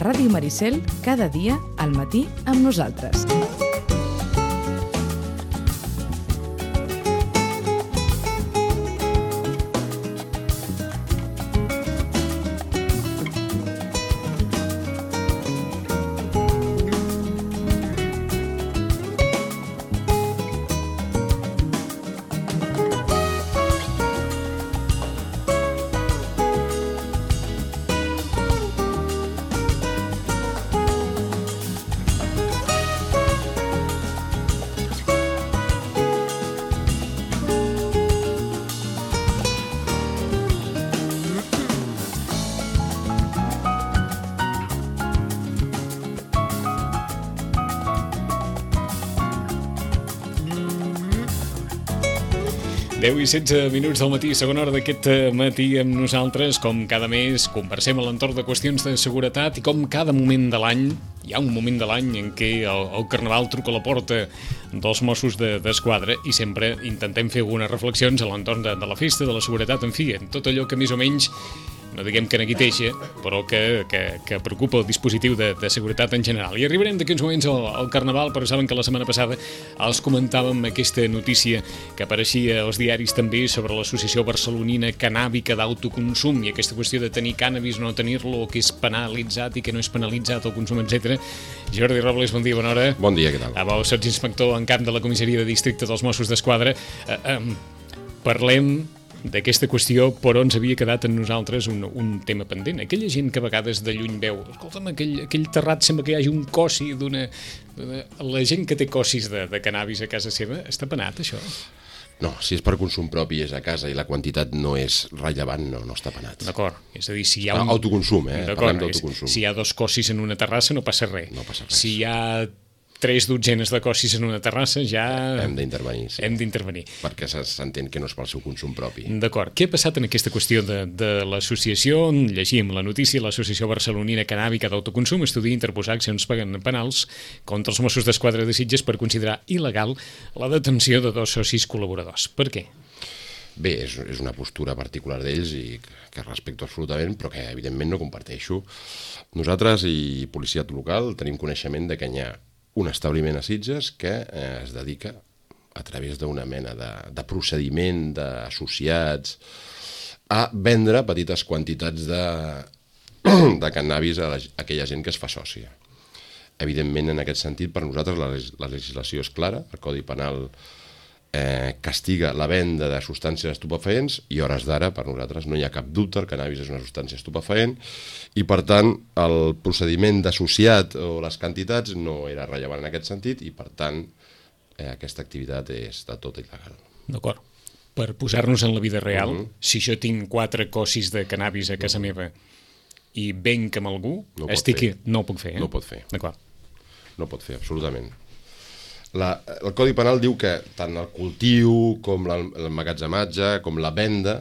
Ràdio Maricel, cada dia al matí amb nosaltres. Deu i 16 minuts del matí, segona hora d'aquest matí amb nosaltres. Com cada mes conversem a l'entorn de qüestions de seguretat i com cada moment de l'any, hi ha un moment de l'any en què el Carnaval truca a la porta dels Mossos d'Esquadra i sempre intentem fer algunes reflexions a l'entorn de la festa, de la seguretat, en fi, en tot allò que més o menys, no diguem que neguiteja, però que preocupa el dispositiu de seguretat en general. I arribarem d'aquí uns moments al Carnaval, però saben que la setmana passada els comentàvem aquesta notícia que apareixia als diaris també sobre l'associació barcelonina cannàbica d'autoconsum i aquesta qüestió de tenir cànnabis, no tenir-lo, que és penalitzat i que no és penalitzat el consum, etc. Jordi Robles, bon dia, bona hora. Bon dia, què tal? Sots inspector en camp de la comissaria de districte dels Mossos d'Esquadra. Parlem d'aquesta qüestió, però ens havia quedat en nosaltres un tema pendent. Aquella gent que a vegades de lluny veu, escolta'm, aquell terrat sembla que hi hagi un cossi d'una... La gent que té cossis de cannabis a casa seva, està penat, això? No, si és per consum propi és a casa i la quantitat no és rellevant, no està penat. D'acord, és a dir, si hi ha Autoconsum, parlem d'autoconsum. Si hi ha 2 cossis en una terrassa no passa res. No passa res. Si hi ha 3 dotzenes de cossis en una terrassa, ja... Hem d'intervenir, sí. Hem d'intervenir. Perquè s'entén que no és pel seu consum propi. D'acord. Què ha passat en aquesta qüestió de l'associació? Llegim la notícia, l'Associació Barcelonina Cannàbica d'Autoconsum estudia interposar accions penals contra els Mossos d'Esquadra de Sitges per considerar il·legal la detenció de 2 socis col·laboradors. Per què? Bé, és una postura particular d'ells i que respecto absolutament, però que evidentment no comparteixo. Nosaltres i policia local tenim coneixement de que hi ha un establiment a Sitges que es dedica, a través d'una mena de procediment d'associats, a vendre petites quantitats de cannabis a aquella gent que es fa sòcia. Evidentment, en aquest sentit, per nosaltres la legislació és clara, el Codi Penal castiga la venda de substàncies estupefaents i a hores d'ara, per nosaltres, no hi ha cap dubte, el cannabis és una substància estupefaent i, per tant, el procediment d'associat o les quantitats no era rellevant en aquest sentit i, per tant, aquesta activitat és de tot il·legal. D'acord. Per posar-nos en la vida real, si jo tinc 4 cossis de cannabis a casa meva i venc amb algú, no ho puc fer. No ho pot fer. D'acord. No ho pot fer, absolutament. El Codi Penal diu que tant el cultiu com l'emmagatzematge com la venda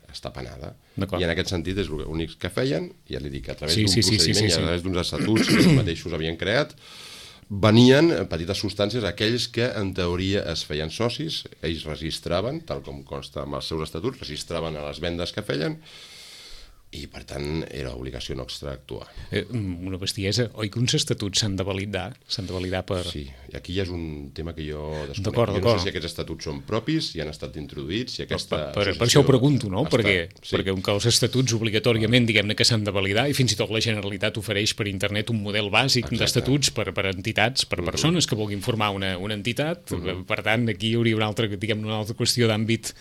està penada. I en aquest sentit és l'únic que feien, ja li dic, a través d'un procediment i a través d'uns estatuts que ells mateixos havien creat, venien petites substàncies a aquells que en teoria es feien socis, ells registraven, tal com consta amb els seus estatuts, registraven a les vendes que feien i, per tant, era obligació nostra actuar. Una bestiesa. Oi que uns estatuts s'han de validar? S'han de validar per... Sí, i aquí ja és un tema que jo desconec. Jo no sé si aquests estatuts són propis, si han estat introduïts, si aquesta... Per això ho pregunto, no? Perquè els estatuts obligatòriament, diguem-ne, que s'han de validar i fins i tot la Generalitat ofereix per internet un model bàsic d'estatuts per entitats, per persones que vulguin formar una entitat. Per tant, aquí hi hauria una altra qüestió d'àmbit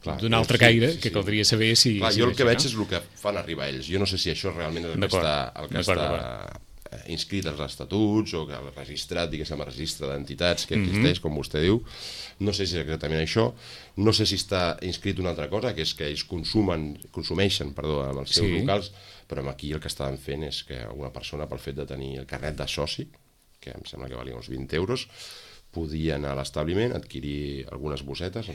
d'un altre caire que caldria saber si... Jo el que veig és el que fan arribar ells. Jo no sé si això realment és el que està inscrit als estatuts o que el registrat, diguéssim, el registre d'entitats que existeix, com vostè diu. No sé si és exactament això. No sé si està inscrit una altra cosa, que és que ells consumeixen amb els seus locals, però aquí el que estaven fent és que una persona, pel fet de tenir el carnet de soci, que em sembla que valia uns 20 euros, podia anar a l'establiment, adquirir algunes bossetes,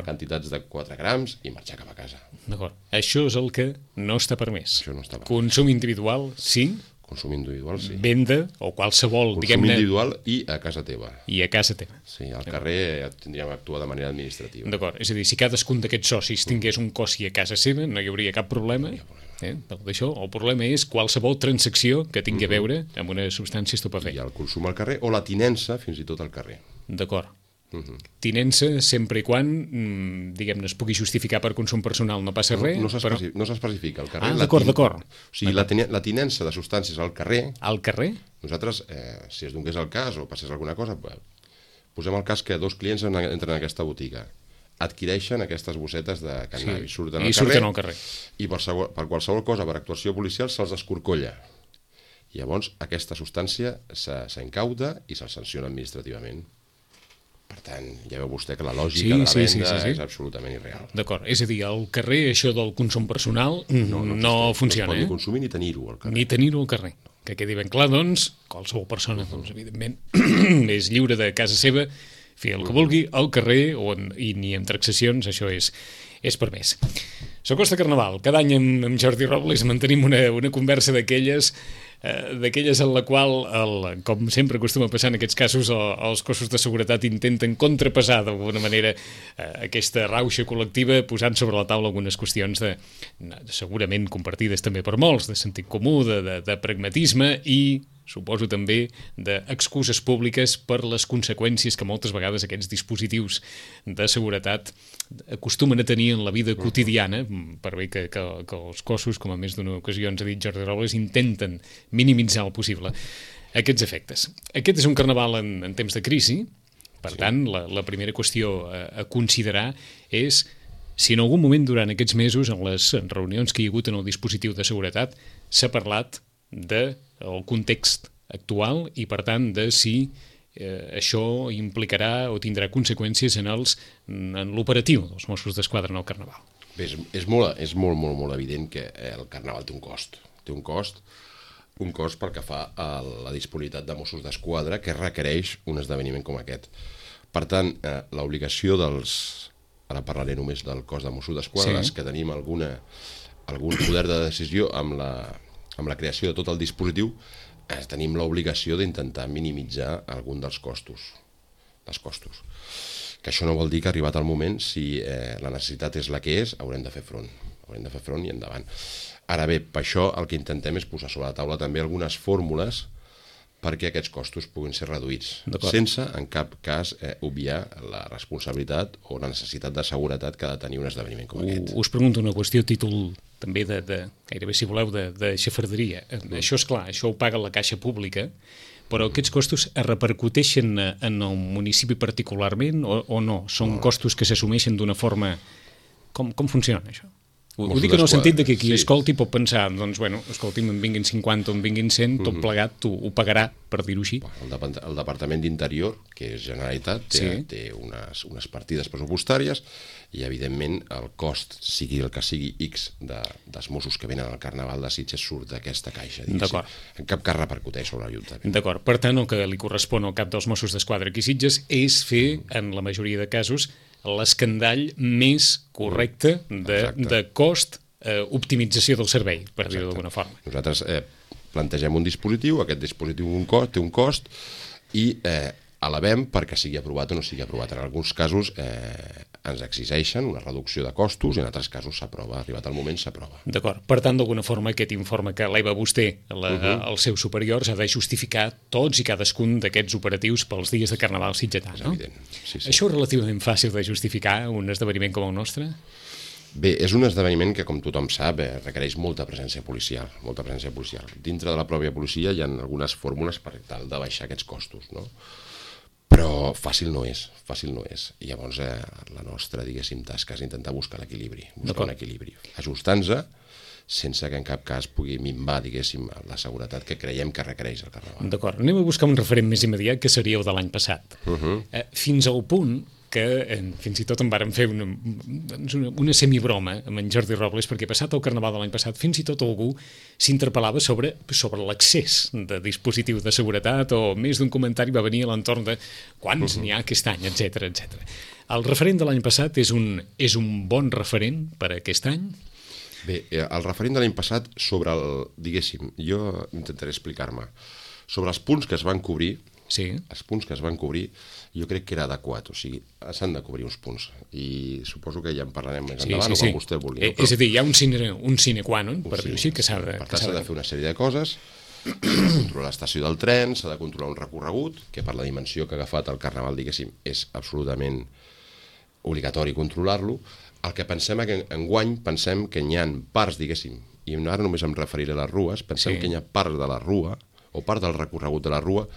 quantitats de 4 grams i marxar cap a casa. D'acord. Això és el que no està permès. Això no està permès. Consum individual, sí. Consum individual, sí. Venda o qualsevol, diguem-ne... Consum individual i a casa teva. I a casa teva. Sí, al carrer tindríem d'actuar de manera administrativa. D'acord. És a dir, si cadascun d'aquests socis tingués un cossi a casa seva, no hi hauria cap problema. D'això, el problema és qualsevol transacció que tingui a veure amb una substància estupefacta. I el consum al carrer o la tinença fins i tot al carrer. D'acord. Tinença sempre i quan, diguem-ne, es pugui justificar per consum personal, no passa res. No s'especifica al carrer. D'acord. O sigui, la tinença de substàncies al carrer... Al carrer? Nosaltres, si es donés el cas o passés alguna cosa, posem el cas que 2 clients entren en aquesta botiga, adquireixen aquestes bossetes de cannabis, surten al carrer i per qualsevol cosa, per actuació policial, se'ls escorcolla. Llavors, aquesta substància s'incauta i se'ls sanciona administrativament. Per tant, ja veu vostè que la lògica de la venda és absolutament irreal. D'acord, és a dir, al carrer això del consum personal no funciona. No es pot ni consumir ni tenir-ho al carrer. Ni tenir-ho al carrer. Que quedi ben clar, doncs, qualsevol persona, doncs, evidentment, és lliure de casa seva, fer el que vulgui al carrer i ni amb taxacions, això és permès. S'acosta Carnaval. Cada any amb Jordi Robles mantenim una conversa d'aquelles en la qual, com sempre acostuma a passar en aquests casos, els cossos de seguretat intenten contrapesar d'alguna manera aquesta rauxa col·lectiva, posant sobre la taula algunes qüestions segurament compartides també per molts, de sentit comú, de pragmatisme i suposo també d'excuses públiques per les conseqüències que moltes vegades aquests dispositius de seguretat acostumen a tenir en la vida quotidiana, per bé que els cossos, com a més d'una ocasió ens ha dit Jordi Robles, intenten minimitzar el possible aquests efectes. Aquest és un carnaval en temps de crisi, per tant, la primera qüestió a considerar és si en algun moment durant aquests mesos, en les reunions que hi ha hagut en el dispositiu de seguretat, s'ha parlat del context actual i, per tant, de si això implicarà o tindrà conseqüències en l'operatiu dels Mossos d'Esquadra en el Carnaval. Bé, és molt evident que el Carnaval té un cost. Té un cost pel que fa a la disponibilitat de Mossos d'Esquadra que requereix un esdeveniment com aquest. Per tant, l'obligació ara parlaré només del cos de Mossos d'Esquadra, que tenim algun poder de decisió amb la creació de tot el dispositiu, tenim l'obligació d'intentar minimitzar algun dels costos. Que això no vol dir que arribat el moment, si la necessitat és la que és, haurem de fer front. Haurem de fer front i endavant. Ara bé, per això el que intentem és posar sobre la taula també algunes fórmules perquè aquests costos puguin ser reduïts, sense en cap cas obviar la responsabilitat o la necessitat de seguretat que ha de tenir un esdeveniment com aquest. Us pregunto una qüestió a títol també gairebé, si voleu, de xafarderia. Això és clar, això ho paga la caixa pública, però aquests costos es repercuteixen en el municipi particularment o no? Són costos que s'assumeixen d'una forma... Com funciona això? Ho dic en el sentit de que qui escolti pot pensar, doncs, bueno, escolti'm, en vinguin 50 o en vinguin 100, tot plegat ho pagarà, per dir-ho així. El Departament d'Interior, que és Generalitat, té unes partides pressupostàries i, evidentment, el cost, sigui el que sigui X dels Mossos que venen al Carnaval de Sitges surt d'aquesta caixa. En cap cas repercuteix sobre l'Ajuntament. D'acord. Per tant, el que li correspon al cap dels Mossos d'Esquadra aquí a Sitges és fer, en la majoria de casos, l'escandall més correcte de cost, optimització del servei, per dir-ho d'alguna forma. Nosaltres plantegem un dispositiu, aquest dispositiu té un cost i elevem perquè sigui aprovat o no sigui aprovat. En alguns casos ens exigeixen una reducció de costos i en altres casos s'aprova, arribat el moment s'aprova. D'acord. Per tant, d'alguna forma, aquest informe que eleva vostè als seus superiors ha de justificar tots i cadascun d'aquests operatius pels dies de Carnaval sitgetà, no? És evident. Sí. Això és relativament fàcil de justificar, un esdeveniment com el nostre? Bé, és un esdeveniment que, com tothom sap, requereix molta presència policial. Dintre de la pròpia policia hi ha algunes fórmules per tal de baixar aquests costos, no? Però fàcil no és. I llavors la nostra, diguéssim, tasca és intentar buscar l'equilibri, ajustant-se sense que en cap cas pugui minvar, diguéssim, la seguretat que creiem que requereix el Carnaval. D'acord, anem a buscar un referent més immediat que seria el de l'any passat. Fins al punt que fins i tot en vàrem fer una semibroma amb en Jordi Robles, perquè passat el Carnaval de l'any passat fins i tot algú s'interpel·lava sobre l'accés de dispositiu de seguretat, o més d'un comentari va venir a l'entorn de quants n'hi ha aquest any, etc. El referent de l'any passat és un bon referent per a aquest any? Bé, el referent de l'any passat sobre diguéssim, jo intentaré explicar-me, sobre els punts que es van cobrir, Sí. Els punts que es van cobrir, jo crec que era adequat, o sigui, s'han de cobrir uns punts, i suposo que ja en parlarem més endavant, o quan vostè vulgui. És a dir, hi ha un sine qua non, per dir-ho així, que s'ha de... Per tant, s'ha de fer una sèrie de coses, controlar l'estació del tren, s'ha de controlar un recorregut, que per la dimensió que ha agafat el Carnaval, diguéssim, és absolutament obligatori controlar-lo. El que pensem que enguany pensem que hi ha parts, diguéssim, i ara només em referiré a les rues, pensem que hi ha part de la rua, o part del recorregut de la rua,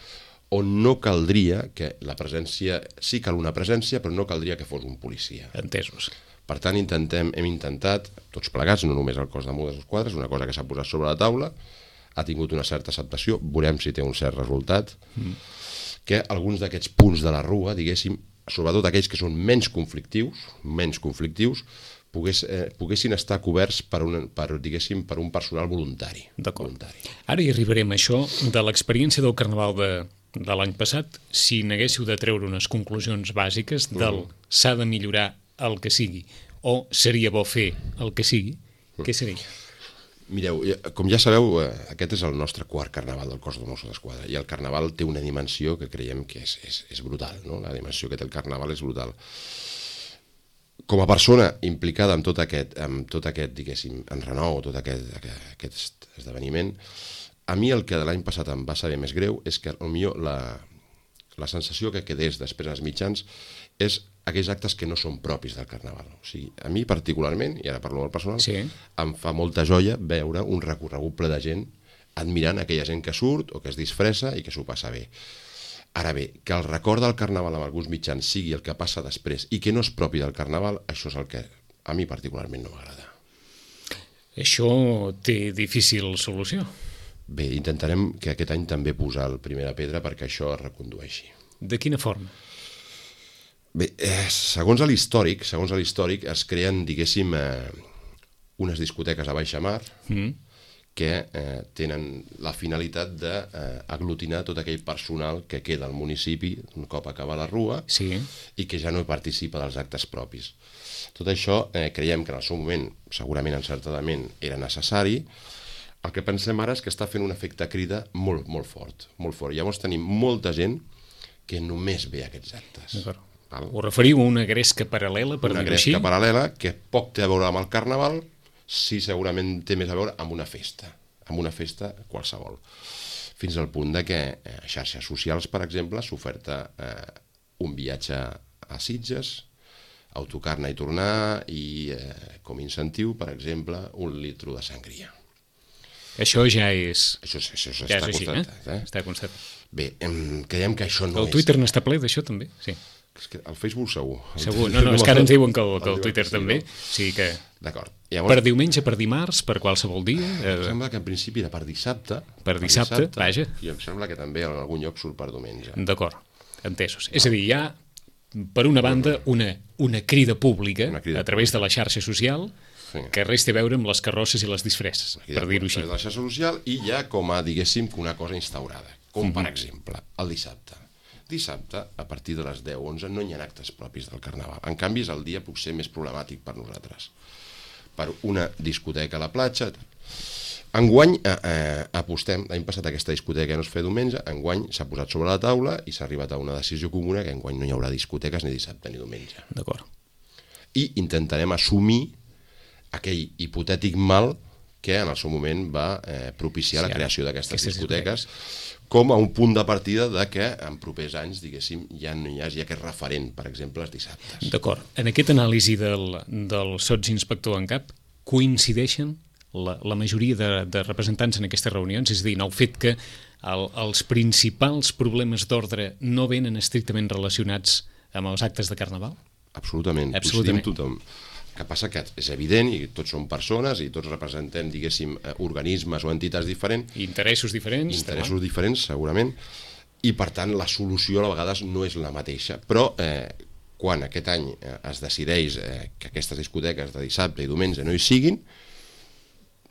on no caldria que la presència... Sí cal una presència, però no caldria que fos un policia. Entesos. Per tant, hem intentat, tots plegats, no només el cos de Mossos d'Esquadra, és una cosa que s'ha posat sobre la taula, ha tingut una certa acceptació, veurem si té un cert resultat, que alguns d'aquests punts de la rua, diguéssim, sobretot aquells que són menys conflictius, poguessin estar coberts per un personal voluntari. D'acord. Ara hi arribarem a això de l'experiència del Carnaval de l'any passat. Si n'haguéssiu de treure unes conclusions bàsiques del s'ha de millorar el que sigui o seria bo fer el que sigui, què seria? Mireu, com ja sabeu, aquest és el nostre quart Carnaval del cos de Mossos d'Esquadra, i el Carnaval té una dimensió que creiem que és brutal, no? La dimensió que té el Carnaval és brutal. Com a persona implicada en tot aquest diguéssim, enrenou, tot aquest esdeveniment, a mi el que de l'any passat em va saber més greu és que potser la sensació que quedés després als mitjans és aquells actes que no són propis del Carnaval. O sigui, a mi particularment, i ara parlo del personal, em fa molta joia veure un recorregut ple de gent admirant aquella gent que surt o que es disfressa i que s'ho passa bé. Ara bé, que el record del Carnaval amb alguns mitjans sigui el que passa després i que no és propi del Carnaval, això és el que a mi particularment no m'agrada. Això té difícil solució. Bé, intentarem que aquest any també posar la primera pedra perquè això es recondueixi. De quina forma? Bé, segons l'històric es creen, diguéssim, unes discoteques a baixa mar que tenen la finalitat d'aglutinar tot aquell personal que queda al municipi un cop acaba la rua i que ja no participa dels actes propis. Tot això creiem que en el seu moment, segurament encertadament, era necessari. El que pensem ara és que està fent un efecte crida molt, molt fort, molt fort. Llavors tenim molta gent que només ve aquests actes. Ho referiu a una gresca paral·lela, per dir-ho així? Una gresca paral·lela que poc té a veure amb el Carnaval, sí segurament té més a veure amb una festa qualsevol. Fins al punt que a xarxes socials, per exemple, s'oferta un viatge a Sitges, autocar anar i tornar, i com a incentiu, per exemple, 1 litre de sangria. Això ja és... Això està constatat. Està constatat. Bé, creiem que això no és... El Twitter n'està ple d'això, també? Sí. El Facebook segur. Segur, no, és que ara ens diuen que el Twitter també. Sí que... D'acord. Per diumenge, per dimarts, per qualsevol dia? Em sembla que en principi era per dissabte. Per dissabte, vaja. I em sembla que també en algun lloc surt per diumenge. D'acord, entesos. És a dir, hi ha, per una banda, una crida pública a través de la xarxa social que res té a veure amb les carrosses i les disfresses, per dir-ho així. La xarxa social i ja com a, diguéssim, una cosa instaurada. Com, per exemple, el dissabte. Dissabte, a partir de les 10-11, no hi ha actes propis del Carnaval. En canvi, és el dia potser més problemàtic per nosaltres. Per una discoteca a la platja. Enguany apostem, l'any passat aquesta discoteca no es feia diumenge, enguany s'ha posat sobre la taula i s'ha arribat a una decisió comuna que enguany no hi haurà discoteques ni dissabte ni diumenge. D'acord. I intentarem assumir aquell hipotètic mal que en el seu moment va propiciar la creació d'aquestes discoteques com a un punt de partida de que en propers anys, diguéssim, ja no hi hagi aquest referent, per exemple, els dissabtes. D'acord. En aquesta anàlisi del sotsinspector en cap, coincideixen la majoria de representants en aquestes reunions? És a dir, en el fet que els principals problemes d'ordre no venen estrictament relacionats amb els actes de Carnaval? Absolutament. Coincidim tothom. El que passa que és evident, i tots som persones, i tots representem, diguéssim, organismes o entitats diferents. Interessos diferents. Interessos diferents, segurament, i per tant la solució a vegades no és la mateixa. Però quan aquest any es decideix que aquestes discoteques de dissabte i diumenge no hi siguin,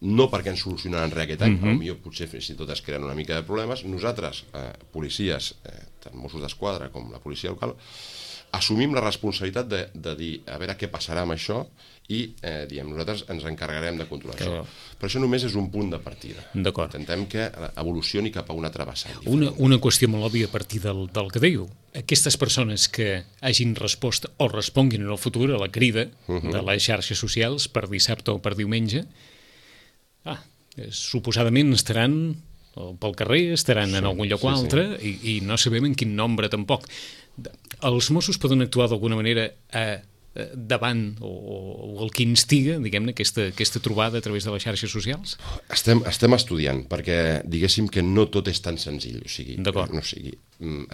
no perquè ens solucionaran res aquest any, potser fins i tot es creen una mica de problemes, nosaltres, policies, tant Mossos d'Esquadra com la policia local, assumim la responsabilitat de dir a veure què passarà amb això i nosaltres ens encarregarem de controlar això. Però això només és un punt de partida. D'acord. Intentem que evolucioni cap a una travessada. Una qüestió molt òbvia a partir del que diu. Aquestes persones que hagin respost o responguin en el futur a la crida de les xarxes socials per dissabte o per diumenge, suposadament estaran pel carrer, estaran en algun lloc o altre i no sabem en quin nombre tampoc. Els Mossos poden actuar d'alguna manera davant o el que instiga, diguem-ne, aquesta trobada a través de les xarxes socials? Estem estudiant, perquè diguéssim que no tot és tan senzill. D'acord.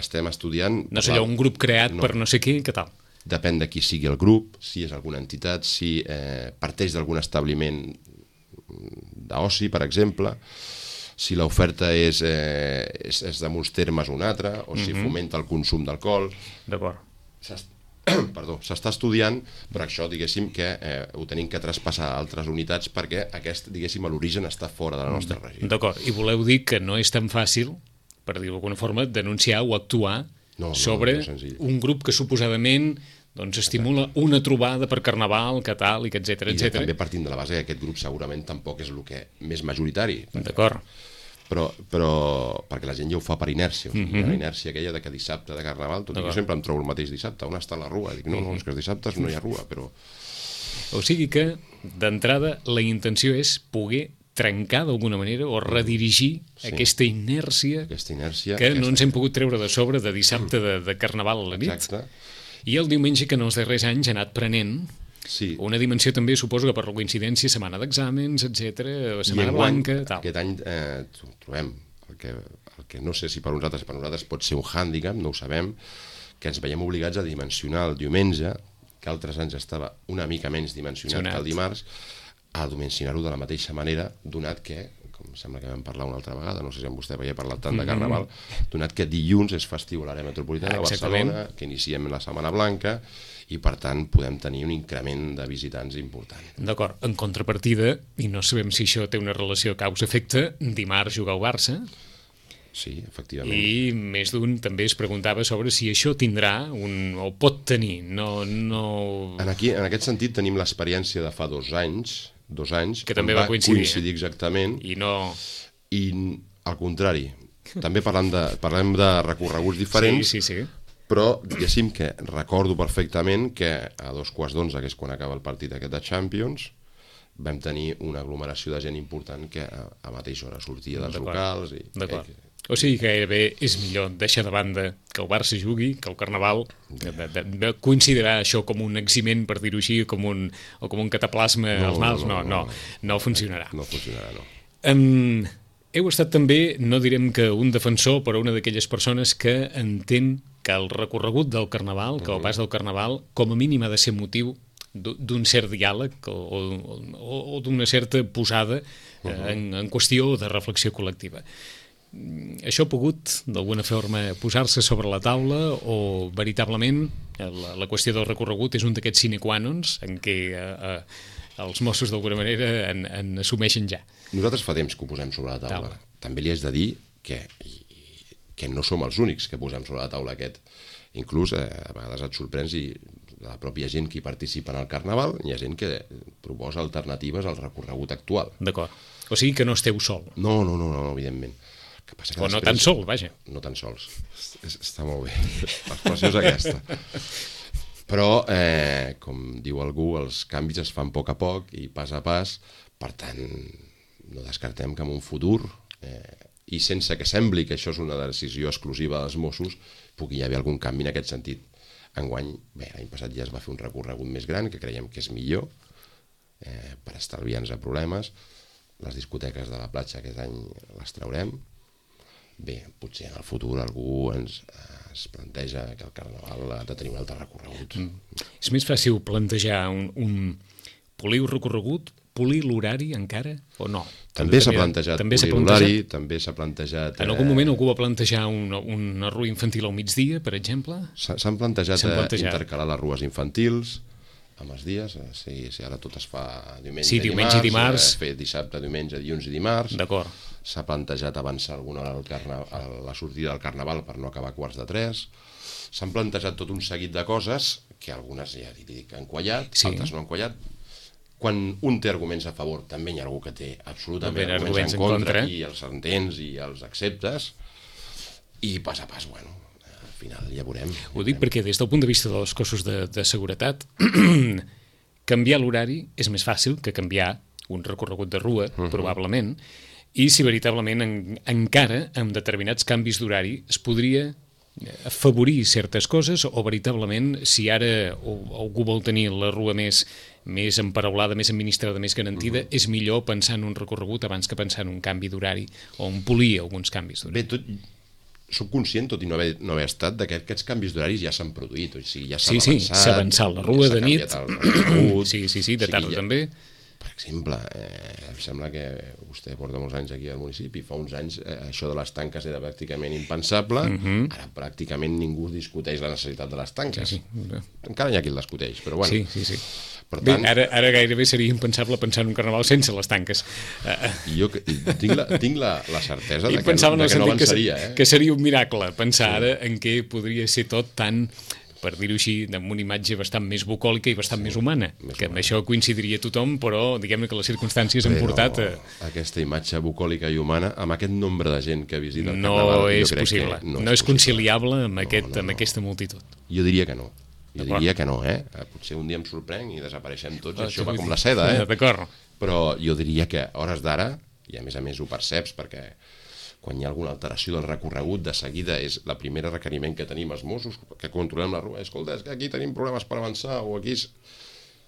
Estem estudiant... No sé, un grup creat per no sé què tal? Depèn de qui sigui el grup, si és alguna entitat, si parteix d'algun establiment d'oci, per exemple, si l'oferta és de uns termes un altre, o si fomenta el consum d'alcohol. D'acord. Perdó, s'està estudiant, però això, diguéssim, que ho tenim que traspassar a altres unitats perquè aquest, diguéssim, l'origen està fora de la nostra regió. D'acord, i voleu dir que no és tan fàcil, per dir-ho d'alguna forma, denunciar o actuar sobre un grup que suposadament estimula una trobada per Carnaval, que tal, i que etcètera, etcètera. I també partint de la base que aquest grup segurament tampoc és el que més majoritari. D'acord. Però perquè la gent ja ho fa per inèrcia, la inèrcia aquella de que dissabte de Carnaval, tot i que jo sempre em trobo el mateix dissabte, on està la rua? Dic, no, és que els dissabtes no hi ha rua, però... O sigui que, d'entrada, la intenció és poder trencar d'alguna manera o redirigir aquesta inèrcia que no ens hem pogut treure de sobre de dissabte de Carnaval a la nit. Exacte. I el diumenge que en els darrers anys ha anat prenent una dimensió també, suposo que per la coincidència, setmana d'exàmens, etc, setmana blanca, tal. Aquest any trobem el que no sé si per nosaltres pot ser un hàndicap, no ho sabem, que ens veiem obligats a dimensionar el diumenge, que altres anys estava una mica menys dimensionat que el dimarts, a dimensionar-ho de la mateixa manera, donat que, com sembla que vam parlar una altra vegada, no sé si amb vostè havia parlat tant de Carnaval, donat que dilluns és festiu a l'àrea metropolitana de Barcelona, que iniciem la Setmana Blanca, i per tant podem tenir un increment de visitants important. D'acord, en contrapartida, i no sabem si això té una relació causa-efecte, dimarts jugar al Barça. Sí, efectivament. I més d'un també es preguntava sobre si això tindrà o pot tenir. En aquest sentit tenim l'experiència de fa 2 anys, que també va coincidir exactament, i al contrari, també parlem de recorreguts diferents, sí. Però diguéssim que recordo perfectament que a 11:15, que és quan acaba el partit aquest de Champions, vam tenir una aglomeració de gent important que a mateixa hora sortia dels locals. D'acord. O sigui que gairebé és millor deixar de banda que el Barça jugui, que el Carnaval, de considerar això com un eximent, per dir-ho així, com un cataplasma als mals, no funcionarà. No funcionarà, no. Heu estat també, no direm que un defensor, però una d'aquelles persones que entén que el recorregut del Carnaval, que el pas del Carnaval, com a mínim ha de ser motiu d'un cert diàleg o d'una certa posada en qüestió de reflexió col·lectiva. Això ha pogut, d'alguna forma, posar-se sobre la taula o veritablement la qüestió del recorregut és un d'aquests sine qua nons en què els Mossos d'alguna manera en assumeixen ja? Nosaltres fa temps que ho posem sobre la taula. També li haig de dir que no som els únics que posem sobre la taula aquest. Inclús a vegades et sorprens i la pròpia gent que hi participa en el Carnaval, hi ha gent que proposa alternatives al recorregut actual. D'acord. O sigui que no esteu sol. No, evidentment. O no tan sol, vaja. No tan sols. Està molt bé. L'expressió és aquesta. Però, com diu algú, els canvis es fan a poc i pas a pas. Per tant, no descartem que en un futur, i sense que sembli que això és una decisió exclusiva dels Mossos, pugui haver algun canvi en aquest sentit. Enguany, l'any passat ja es va fer un recorregut més gran, que creiem que és millor, per estalviar-nos a problemes. Les discoteques de la platja aquest any les traurem. Bé, potser en el futur algú es planteja que el Carnaval ha de tenir un altre recorregut. És més fàcil plantejar un poliu recorregut, polir l'horari encara, o no? També s'ha plantejat polir l'horari, també s'ha plantejat... En algun moment algú va plantejar una rua infantil al migdia, per exemple? S'han plantejat intercalar les rues infantils, amb els dies, si ara tot es fa diumenge, Sí, diumenge i dimarts. Fer dissabte, diumenge, dilluns i dimarts. D'acord. S'ha plantejat avançar alguna hora a la sortida del Carnaval per no acabar a 2:45. S'han plantejat tot un seguit de coses que algunes, ja dic, han quallat, Sí. altres no han quallat. Quan un té arguments a favor, també hi ha algú que té absolutament També arguments en contra, eh? i els entens i els acceptes, i pas a pas, bueno, al final ja veurem. Ho dic perquè des del punt de vista dels cossos de seguretat canviar l'horari és més fàcil que canviar un recorregut de rua, probablement, i si veritablement encara amb determinats canvis d'horari es podria afavorir certes coses o veritablement si ara algú vol tenir la rua més emparaulada, més administrada, més garantida, és millor pensar en un recorregut abans que pensar en un canvi d'horari o en polir alguns canvis d'horari. Bé, soc conscient, tot i no haver estat, que aquests canvis d'horaris ja s'han produït, o sigui, ja s'ha Sí, avançat. s'ha avançat la rua de nit. Sí, de tarda també. Per exemple, em sembla que vostè porta molts anys aquí al municipi, fa uns anys això de les tanques era pràcticament impensable, ara pràcticament ningú discuteix la necessitat de les tanques. Sí. Encara hi ha qui el discuteix, però bueno. Sí. Per Bé, tant, ara gairebé seria impensable pensar en un carnaval sense les tanques. jo tinc la certesa I de pensava en el que no sentit avançaria. que seria un miracle pensar ara en què podria ser tot tan, per dir-ho així, amb una imatge bastant més bucòlica i bastant més humana. Que amb això coincidiria tothom, però diguem-ne que les circumstàncies han portat aquesta imatge bucòlica i humana, amb aquest nombre de gent que visita el no Carnaval, és possible. No és conciliable amb aquesta multitud. Jo diria que no. Potser un dia em sorprenc i desapareixem tots, això va com la seda, D'acord. Però jo diria que a hores d'ara, i a més ho perceps, perquè quan hi ha alguna alteració del recorregut, de seguida és la primera requeriment que tenim els Mossos, que controlem la rua, escolta, és que aquí tenim problemes per avançar, o aquí...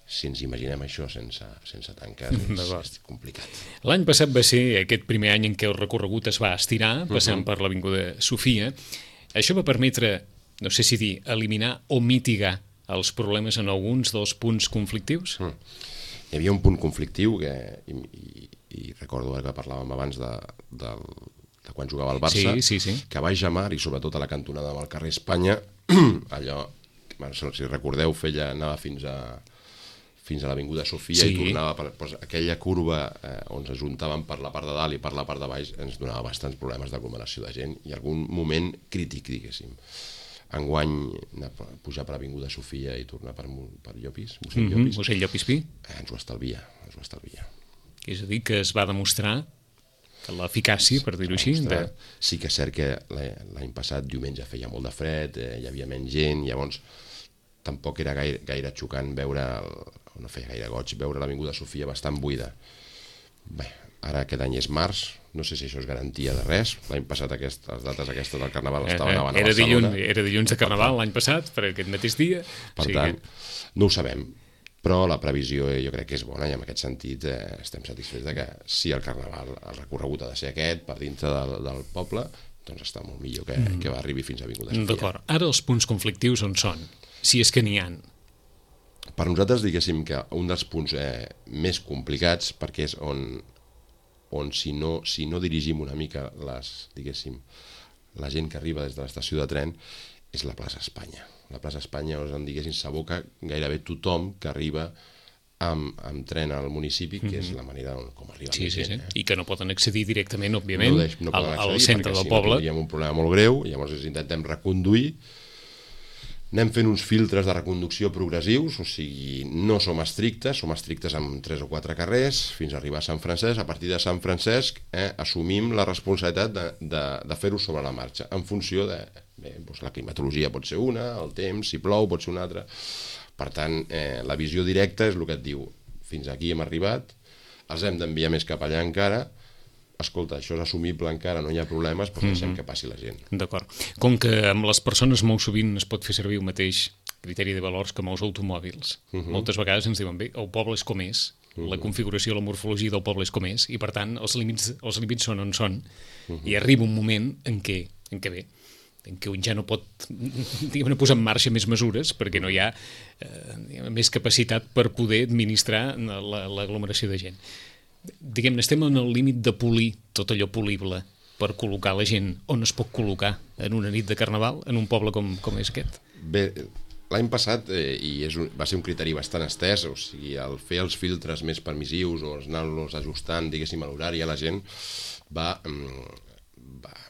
Si ens imaginem això sense tanques, és complicat. L'any passat va ser aquest primer any en què el recorregut es va estirar, passant per l'Avinguda Sofia. Això va permetre, no sé si dir, eliminar o mitigar els problemes en alguns dels punts conflictius? Hi havia un punt conflictiu i recordo que parlàvem abans de quan jugava al Barça, que a Baix Mar i sobretot a la cantonada amb el carrer Espanya, allò, si recordeu, anava fins a l'Avinguda Sofia i tornava aquella curva on s'ajuntaven per la part de dalt i per la part de baix, ens donava bastants problemes d'aglomeració de gent i algun moment crític, diguéssim. Enguany, pujar per l'Avinguda Sofia i tornar per Llopis, Mossèn Llopis Pi, ens ho estalvia. És a dir, que es va demostrar que l'eficàcia, per dir-ho així... Sí que és cert que l'any passat, diumenge, feia molt de fred, hi havia menys gent, llavors tampoc era gaire xocant no feia gaire goig, veure l'Avinguda Sofia bastant buida. Bé, ara aquest any és març, no sé si això és garantia de res. L'any passat les dates aquestes del Carnaval estaven a Barcelona. Era dilluns de Carnaval l'any passat, per aquest mateix dia. Per tant, no ho sabem, però la previsió jo crec que és bona i en aquest sentit estem satisfets de que si el Carnaval, el recorregut ha de ser aquest, per dintre del poble, doncs està molt millor que arribi fins a Avinguda Sofia. D'acord. Ara els punts conflictius on són? Si és que n'hi ha. Per nosaltres, diguéssim que un dels punts més complicats, perquè és on si no dirigim una mica la gent que arriba des de l'estació de tren, és la plaça Espanya. La plaça Espanya, on diguéssim, s'aboca gairebé tothom que arriba amb tren al municipi, que és la manera com arriba més gent. I que no poden accedir directament, òbviament, al centre del perquè poble. si no tindríem un problema molt greu, llavors intentem reconduir. Anem fent uns filtres de reconducció progressius, o sigui, no som estrictes amb 3 o 4 carrers, fins a arribar a Sant Francesc. A partir de Sant Francesc assumim la responsabilitat de fer-ho sobre la marxa, en funció de la climatologia pot ser una, el temps, si plou pot ser una altra. Per tant, la visió directa és el que et diu, fins aquí hem arribat, els hem d'enviar més cap allà encara, escolta, això és assumible encara, no hi ha problemes, però deixem que passi la gent. D'acord. Com que amb les persones molt sovint es pot fer servir el mateix criteri de valors que amb els automòbils. Moltes vegades ens diuen, bé, el poble és com és, la configuració, la morfologia del poble és com és, i per tant els límits són on són, i arriba un moment en què un ja no pot posar en marxa més mesures perquè no hi ha més capacitat per poder administrar l'aglomeració de gent. Diguem-ne, estem en el límit de polir tot allò polible per col·locar la gent on es pot col·locar en una nit de Carnaval en un poble com és aquest? Bé, l'any passat, va ser un criteri bastant estès, o sigui, el fer els filtres més permissius o anar-los ajustant, diguéssim, a l'horari, a la gent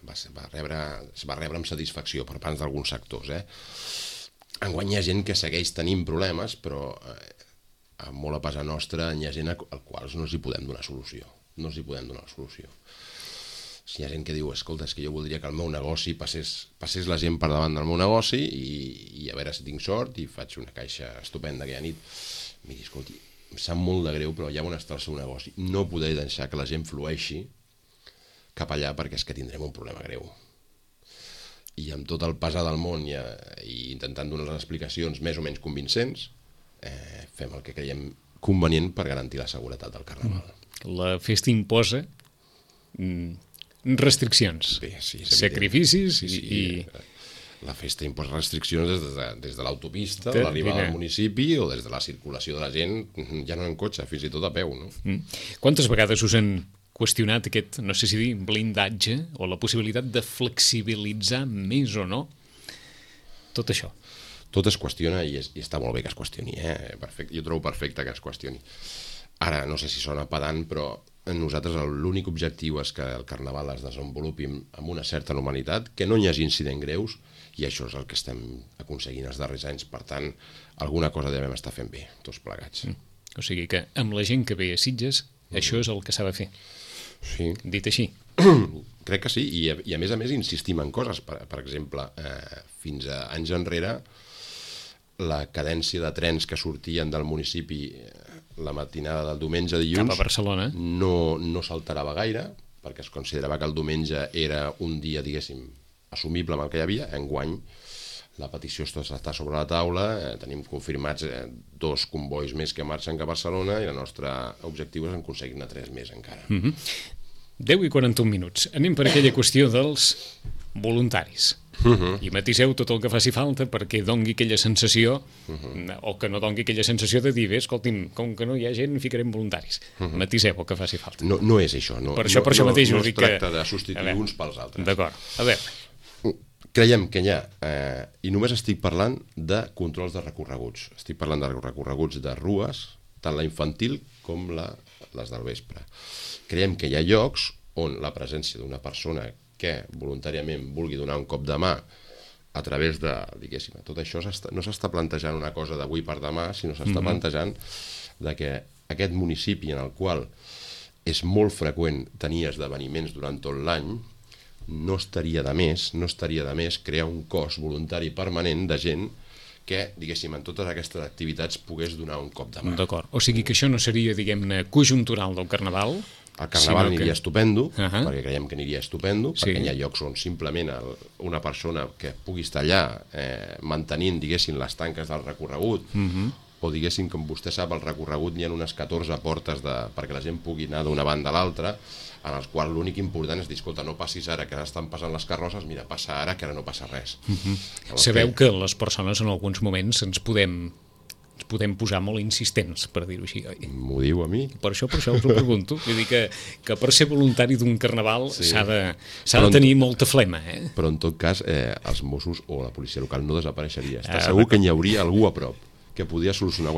es va rebre amb satisfacció per part d'alguns sectors. Enguany hi ha gent que segueix tenint problemes, però molt a casa nostra hi ha gent al qual no els hi podem donar solució. No els hi podem donar solució. Hi ha gent que diu, escolta, és que jo voldria que el meu negoci passés la gent per davant del meu negoci i a veure si tinc sort i faig una caixa estupenda aquella nit. Miri, escolti, em sap molt de greu, però allà on està el seu negoci no podré deixar que la gent flueixi cap allà perquè és que tindrem un problema greu. I amb tot el pesar del món i intentant donar les explicacions més o menys convincents, fem el que creiem convenient per garantir la seguretat del Carnaval. La festa imposa restriccions, sí, sacrificis i... La festa imposa restriccions des de l'autopista, de l'arribada al municipi o des de la circulació de la gent, ja no en cotxe, fins i tot a peu. No? Quantes vegades us han qüestionat aquest, no sé si dir, blindatge o la possibilitat de flexibilitzar més o no tot això? Tot es qüestiona i està molt bé que es qüestioni. Perfecte. Jo trobo perfecte que es qüestioni. Ara, no sé si sona pedant, però nosaltres l'únic objectiu és que el Carnaval es desenvolupi amb una certa normalitat, que no hi hagi incidents greus, i això és el que estem aconseguint els darrers anys. Per tant, alguna cosa devem estar fent bé, tots plegats. O sigui que amb la gent que ve a Sitges, això és el que s'ha de fer. Sí. Dit així. Crec que sí, i a més insistim en coses. Per exemple, fins a anys enrere, la cadència de trens que sortien del municipi la matinada del diumenge a dilluns cap a Barcelona no s'alterava gaire, perquè es considerava que el diumenge era un dia, diguéssim, assumible amb el que hi havia. Enguany la petició està sobre la taula, tenim confirmats 2 convois més que marxen cap a Barcelona i el nostre objectiu és aconseguir-ne 3 més encara. 10:41 minuts. Anem per aquella qüestió dels voluntaris. I matiseu tot el que faci falta perquè dongui aquella sensació o que no dongui aquella sensació de dir, bé, escolti'm, com que no hi ha gent, ficarem voluntaris. Matiseu el que faci falta. No és això. Per això mateix no es tracta de substituir uns pels altres. D'acord. A veure. Creiem que hi ha, i només estic parlant de controls de recorreguts. Estic parlant de recorreguts de rues, tant la infantil com les del vespre. Creiem que hi ha llocs on la presència d'una persona que voluntàriament vulgui donar un cop de mà a través de, diguéssim, tot això no s'està plantejant una cosa d'avui per demà, sinó s'està plantejant de que aquest municipi en el qual és molt freqüent tenir esdeveniments durant tot l'any, no estaria de més crear un cos voluntari permanent de gent que, diguéssim, en totes aquestes activitats pogués donar un cop de mà. D'acord. O sigui que això no seria, diguem-ne, conjuntural del Carnaval? El Carnaval aniria estupendo, perquè creiem que aniria estupendo, perquè hi ha llocs on simplement una persona que pugui estar allà mantenint, diguéssim, les tanques del recorregut, o diguéssim, com vostè sap, el recorregut hi ha unes 14 portes perquè la gent pugui anar d'una banda a l'altra, en els quals l'únic important és dir, escolta, no passis ara que ara estan passant les carrosses, mira, passa ara que ara no passa res. Sabeu que les persones en alguns moments ens podem posar molt insistents, per dir-ho així, oi? M'ho diu a mi? Per això us ho pregunto. Vull dir que per ser voluntari d'un carnaval s'ha de tenir molta flema, Però en tot cas, els Mossos o la policia local no desapareixeria. Està segur que hi hauria algú a prop que podia solucionar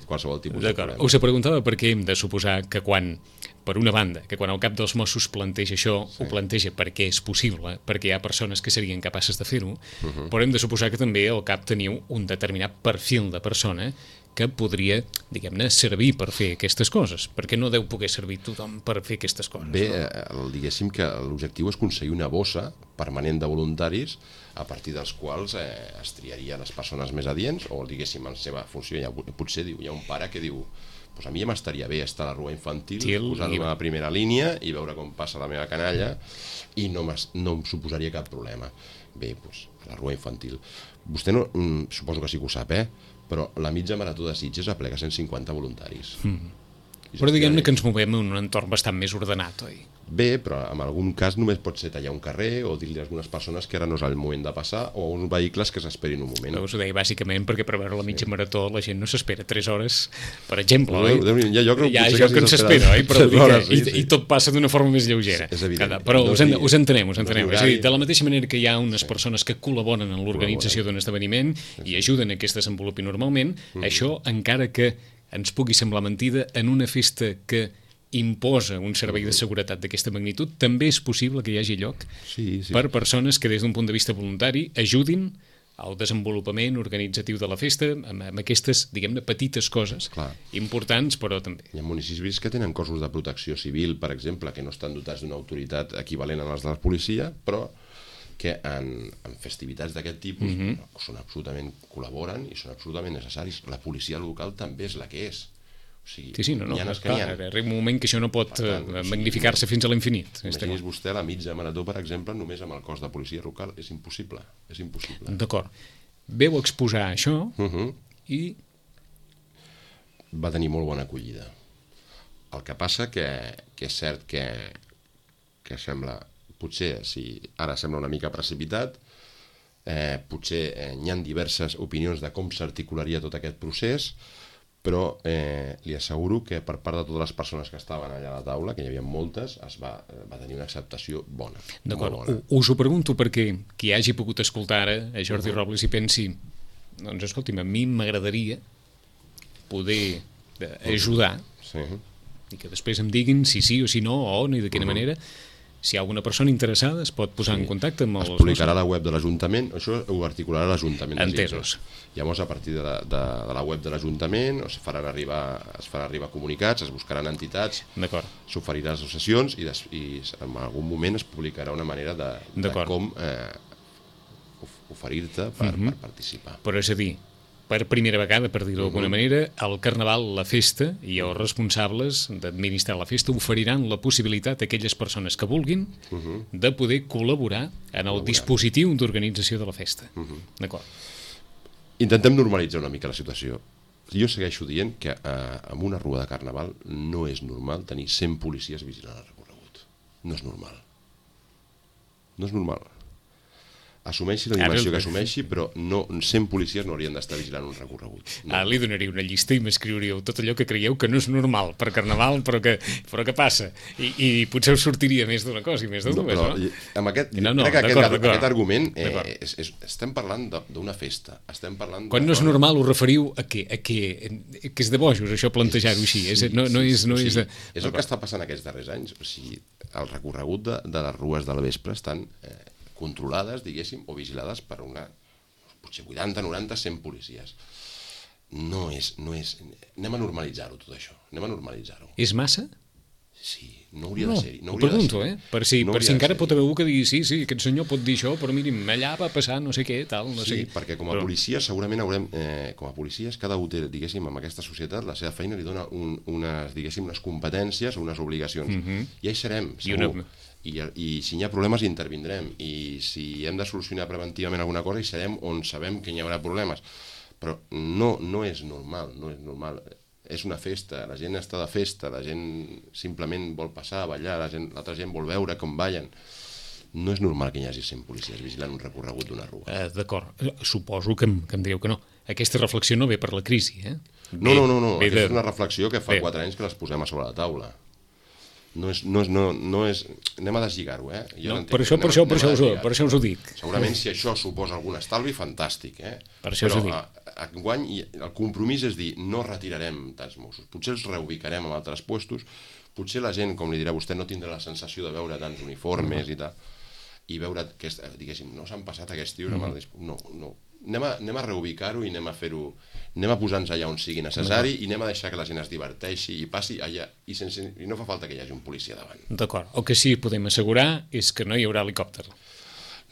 qualsevol tipus de problema. Us preguntava perquè hem de suposar que quan el cap dels Mossos planteja això, ho planteja perquè és possible, perquè hi ha persones que serien capaces de fer-ho, però hem de suposar que també al cap teniu un determinat perfil de persona que podria, diguem-ne, servir per fer aquestes coses, perquè no deu poder servir tothom per fer aquestes coses. Bé, diguéssim que l'objectiu és aconseguir una bossa permanent de voluntaris a partir dels quals es triaria les persones més adients o, diguéssim, en seva funció. Potser hi ha un pare que diu a mi ja m'estaria bé estar a la rua infantil, posar-me a la primera línia i veure com passa la meva canalla i no em suposaria cap problema. Bé, a la rua infantil. Vostè no, suposo que sí que ho sap, però la mitja marató de Sitges aplega 150 voluntaris. Però diguem-ne que ens movem en un entorn bastant més ordenat, oi? Bé, però en algun cas només pot ser tallar un carrer o dir-li a algunes persones que ara no és el moment de passar o a uns vehicles que s'esperin un moment. Us ho deia bàsicament perquè per veure la mitja marató la gent no s'espera 3 hores, per exemple, oi? Hi ha lloc que s'espera, oi? Però i tot passa d'una forma més lleugera. És evident. Però us entenem. És a dir, de la mateixa manera que hi ha unes persones que col·laboren en l'organització d'un esdeveniment i ajuden a que es desenvolupi normalment, això, encara que ens pugui semblar mentida, en una festa que imposa un servei de seguretat d'aquesta magnitud, també és possible que hi hagi lloc per persones que des d'un punt de vista voluntari ajudin al desenvolupament organitzatiu de la festa amb aquestes, diguem-ne, petites coses importants, però també. Hi ha municipis que tenen cossos de protecció civil, per exemple, que no estan dotats d'una autoritat equivalent a les de la policia, però que en festivitats d'aquest tipus són absolutament, col·laboren i són absolutament necessaris. La policia local també és la que és. O sigui, arriba un moment que això no pot magnificar-se fins a l'infinit. Imagini's vostè la mitja marató, per exemple, només amb el cos de policia local. És impossible. D'acord. Veu exposar això i... Va tenir molt bona acollida. El que passa que és cert que sembla... Potser, si ara sembla una mica precipitat, potser hi ha diverses opinions de com s'articularia tot aquest procés, però li asseguro que per part de totes les persones que estaven allà a la taula, que hi havia moltes, va tenir una acceptació bona. D'acord, us ho pregunto perquè qui hagi pogut escoltar ara a Jordi Robles i pensi, doncs escolti'm, a mi m'agradaria poder ajudar i que després em diguin si sí o si no, o on i de quina manera. Si hi ha alguna persona interessada es pot posar en contacte amb els... Es publicarà a la web de l'Ajuntament, això ho articularà l'Ajuntament. Entesos. Llavors, a partir de la web de l'Ajuntament es faran arribar comunicats, es buscaran entitats, s'oferirà associacions i en algun moment es publicarà una manera de com oferir-te per participar. Però és a dir, per primera vegada, per dir-ho d'alguna manera, el Carnaval, la festa, i els responsables d'administrar la festa oferiran la possibilitat a aquelles persones que vulguin de poder col·laborar en el dispositiu d'organització de la festa. D'acord. Intentem normalitzar una mica la situació. Jo segueixo dient que en una rua de Carnaval no és normal tenir 100 policies vigilant el recorregut. No és normal. No és normal. Assumeixi la dimensió que assumeixi, però 100 policies no haurien d'estar vigilant un recorregut. Li donaria una llista i m'escriuríeu tot allò que creieu que no és normal per Carnaval, però que passa. I potser us sortiria més d'una cosa i més de dues, no? Crec que aquest argument estem parlant d'una festa. Quan no és normal ho referiu a què? Que és de bojos, això, plantejar-ho així. És el que està passant aquests darrers anys. O sigui, el recorregut de les rues del vespre estan controlades, diguéssim, o vigilades per potser 80, 90, 100 policies. No és... Anem a normalitzar-ho, tot això. Anem a normalitzar-ho. És massa? Sí, no hauria de ser-hi. Ho pregunto, per si encara pot haver algú que digui sí, aquest senyor pot dir això, però mirin, allà va passar no sé què, tal, no sé què. Sí, perquè com a policies segurament haurem... Com a policies, cada un té, diguéssim, en aquesta societat, la seva feina li dona unes competències o unes obligacions. I hi serem, segur. I si hi ha problemes hi intervindrem, i si hem de solucionar preventivament alguna cosa hi serem on sabem que hi haurà problemes, però no és normal, és una festa, la gent està de festa, la gent simplement vol passar a ballar, l'altra gent vol veure com ballen. No és normal que hi hagi 100 policies vigilant un recorregut d'una rua. D'acord, suposo que em direu que no. Aquesta reflexió no ve per la crisi, eh? No, aquesta és una reflexió que fa 4 anys que les posem a sobre la taula. No és... Anem a deslligar-ho, eh? Per això us ho dic. Segurament si això suposa algun estalvi, fantàstic, eh? Per això us ho dic. Però enguany el compromís és dir, no retirarem tants Mossos, potser els reubicarem en altres puestos, potser la gent, com li dirà vostè, no tindrà la sensació de veure tants uniformes i tal, i veure que, diguéssim, no s'han passat aquests tios amb el... No. Anem a reubicar-ho i anem a posar-nos allà on sigui necessari i anem a deixar que la gent es diverteixi i passi allà i no fa falta que hi hagi un policia davant. D'acord. El que sí que podem assegurar és que no hi haurà helicòpter.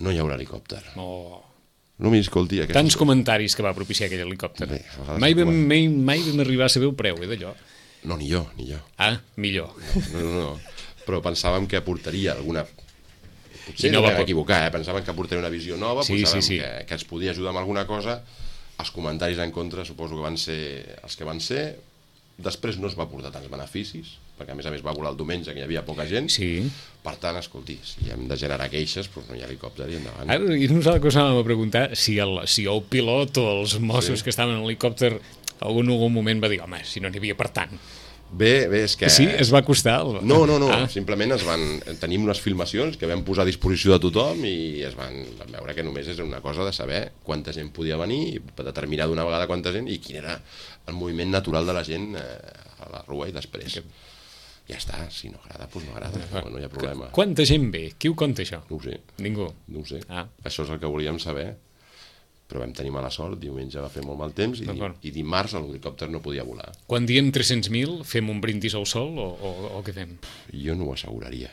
No hi haurà helicòpter. No m'hi escolti. Tants comentaris que va propiciar aquell helicòpter. Mai vam arribar a saber el preu, d'allò. No, ni jo. Ah, millor. No. Però pensàvem que aportaria alguna... Potser no vam equivocar, pensàvem que aportaria una visió nova, pensàvem que ens podia ajudar amb alguna cosa. Els comentaris en contra suposo que van ser els que van ser, Després no es va portar tants beneficis, perquè a més va volar el diumenge, que hi havia poca gent. Sí. Per tant, escolti, si hem de generar queixes, doncs no hi ha helicòpter i endavant. Ara, i nosaltres que anàvem a preguntar si el pilot o els Mossos que estaven en l'helicòpter en algun moment va dir, home, si no n'hi havia per tant. Bé, és que... Sí, es va costar? No, simplement tenim unes filmacions que vam posar a disposició de tothom i es van veure que només és una cosa de saber quanta gent podia venir, per determinar d'una vegada quanta gent i quin era el moviment natural de la gent a la rua i després. Ja està, si no agrada, doncs no agrada, no hi ha problema. Quanta gent ve? Qui ho compta, això? No ho sé. Ningú? No ho sé. Això és el que volíem saber, però vam tenir mala sort, diumenge va fer molt mal temps i dimarts l'helicòpter no podia volar. Quan diem 300.000, fem un brindis al sol o què fem? Jo no ho asseguraria,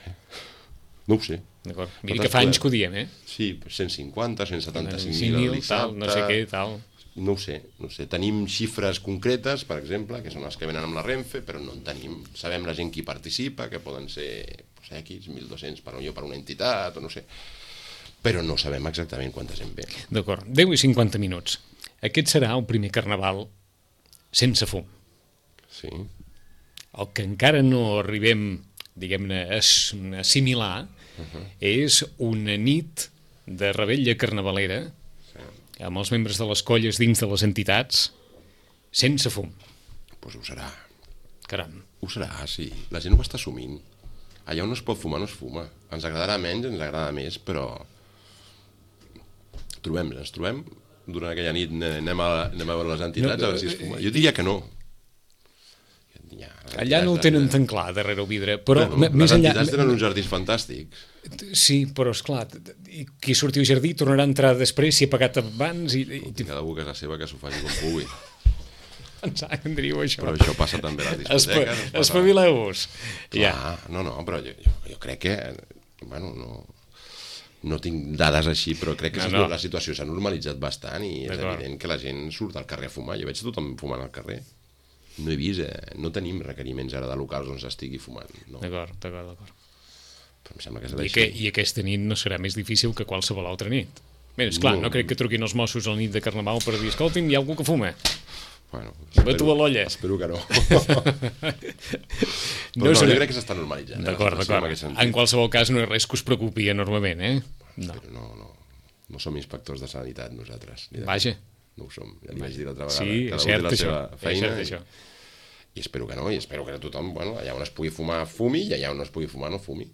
No ho sé. D'acord. Mira que fa anys que ho diem, Sí, 150, 175.000 el dissabte... no sé què, tal... No ho sé. Tenim xifres concretes, per exemple, que són les que venen amb la Renfe, però no en tenim. Sabem la gent qui participa, que poden ser X, 1.200 per una entitat, o no sé... però no sabem exactament quanta gent ve. D'acord, 10 i 50 minuts. Aquest serà el primer carnaval sense fum. Sí. El que encara no arribem, diguem-ne, a assimilar és una nit de revetlla carnavalera amb els membres de les colles dins de les entitats sense fum. Doncs ho serà. Caram. Ho serà, sí. La gent ho està assumint. Allà on no es pot fumar, no es fuma. Ens agradarà menys, ens agrada més, però... ens trobem, durant aquella nit anem a veure les entitats a veure si es fuma. Jo diria que no. Allà no ho tenen tan clar, darrere el vidre, però les entitats tenen uns jardins fantàstics. Sí, però esclar, qui surti al jardí tornarà a entrar després, si ha pagat abans i... Cada casa seva que s'ho faci com pugui. Ens agradaria això. Però això passa també a les discoteques. Espavileu-vos. No, però jo crec que... Bueno, no tinc dades així, però crec que la situació s'ha normalitzat bastant i és evident que la gent surt al carrer a fumar. Jo veig tothom fumant al carrer. No he vist, no tenim requeriments ara de locals on s'estigui fumant. D'acord. Però em sembla que serà així. I aquesta nit no serà més difícil que qualsevol altra nit. Bé, esclar, no crec que truquin els Mossos a la nit de Carnaval per dir, escolti'm, hi ha algú que fuma. Bueno, batu a l'olla. Espero que no. Però jo crec que s'està normalitzant. D'acord. En qualsevol cas no és res que us preocupi enormement, No som inspectors de sanitat nosaltres. Vaja. No ho som, ja li vaig dir l'altra vegada. Sí, és cert això. I espero que no, i espero que tothom, allà on es pugui fumar, fumi, i allà on no es pugui fumar, no fumi.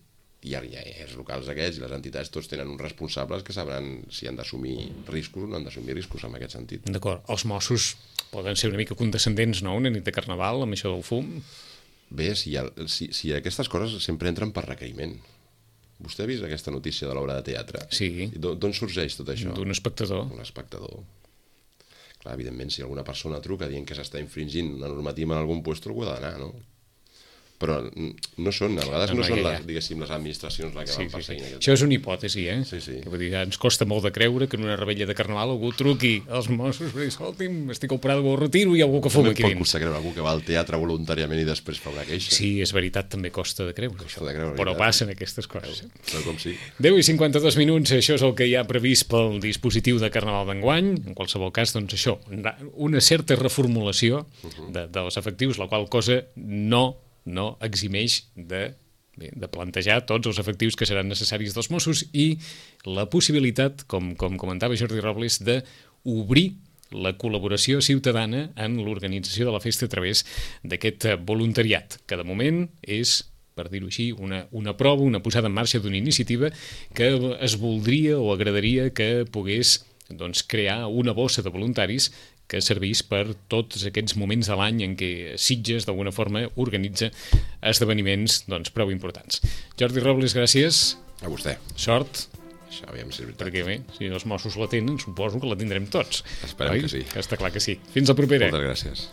I els locals aquests i les entitats tots tenen uns responsables que sabran si han d'assumir riscos o no han d'assumir riscos en aquest sentit. D'acord, els Mossos poden ser una mica condescendents, no?, una nit de Carnaval amb això del fum? Bé, si aquestes coses sempre entren per requeriment. Vostè ha vist aquesta notícia de l'obra de teatre? Sí. D'on sorgeix tot això? D'un espectador. Un espectador. Clar, evidentment, si alguna persona truca dient que s'està infringint una normativa en algun lloc, algú ha d'anar, no? Però no són, a vegades no són, diguéssim, les administracions les que van perseguint. Això és una hipòtesi, Sí. Que vull dir, ens costa molt de creure que en una revetlla de Carnaval algú truqui als Mossos i escolti'm, estic al Prado, ho retiro i hi ha algú que fuma aquí dins. Pot costar creure algú que va al teatre voluntàriament i després fa una queixa. Sí, és veritat, també costa de creure això, però passen aquestes coses. Però com sí. 10 i 52 minuts, això és el que hi ha previst pel dispositiu de Carnaval d'enguany. En qualsevol cas, doncs això, una certa reformulació dels efectius, la qual cosa no eximeix de plantejar tots els efectius que seran necessaris dels Mossos i la possibilitat, com comentava Jordi Robles, d'obrir la col·laboració ciutadana en l'organització de la festa a través d'aquest voluntariat, que de moment és, per dir-ho així, una prova, una posada en marxa d'una iniciativa que es voldria o agradaria que pogués crear una bossa de voluntaris que serveix per tots aquests moments de l'any en què Sitges, d'alguna forma, organitza esdeveniments prou importants. Jordi Robles, gràcies. A vostè. Sort. Això aviam si és veritat. Perquè bé, si els Mossos la tenen, suposo que la tindrem tots. Esperem que sí. Que està clar que sí. Fins la propera. Moltes gràcies.